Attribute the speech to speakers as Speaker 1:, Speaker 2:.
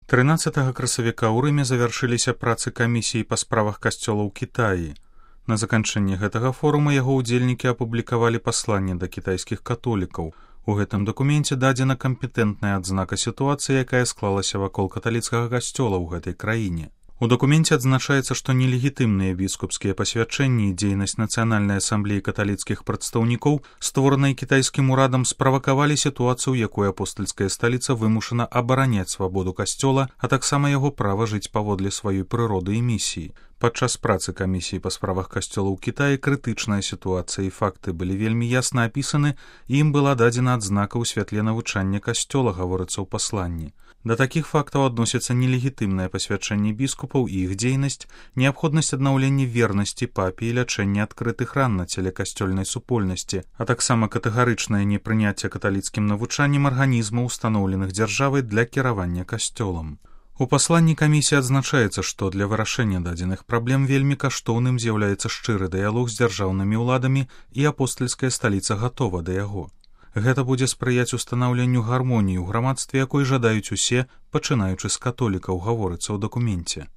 Speaker 1: 13 красавіка ў Рыме завяршыліся працы камісіі па справах касцёла ў Кітаі. На заканчэнні гэтага форума яго ўдзельнікі апублікавалі пасланне да кітайскіх католікаў. У гэтым дакуменце дадзена кампетэнтная адзнака сітуацыі, якая склалася вакол каталіцкага касцёла ў гэтай краіне. У дакуменце адзначаецца, што нелегітымныя біскупскія пасвячэнні і дзейнасць Нацыянальнай асамблеі каталіцкіх прадстаўнікоў, створанай кітайскім урадам, справакавалі сітуацыю, якой апостальская сталіца вымушана абараняць свабоду касцёла, а таксама яго права жыць паводле сваёй прыроды і місіі. Падчас працы камісіі па справах касцёла ў Кітаі крытычная сітуацыя і факты былі вельмі ясна апісаны, і ім была дадзена адзнака ў святле навучання касцёла, гаворыцца ў пасланні. Да такіх фактаў адносяцца нелегітымнае пасвячэнне біскупаў і іх дзейнасць, неабходнасць аднаўлення вернасці папе і лячэння адкрытых ран на целе касцёльнай супольнасці, а таксама катэгарычнае непрыняцце каталіцкім навучаннем арганізмаў, устаноўленых дзяржавай для кіравання касцёлам. У пасланні камісіі адзначаецца, што для вырашэння дадзеных праблем вельмі каштоўным з'яўляецца шчыры дыялог з дзяржаўнымі ўладамі, і апостальская сталіца гатова да яго. Гэта будзе спрыяць устанаўленню гармоніі ў грамадстве, якой жадаюць усе, пачынаючы з католікаў, гаворыцца ў дакуменце.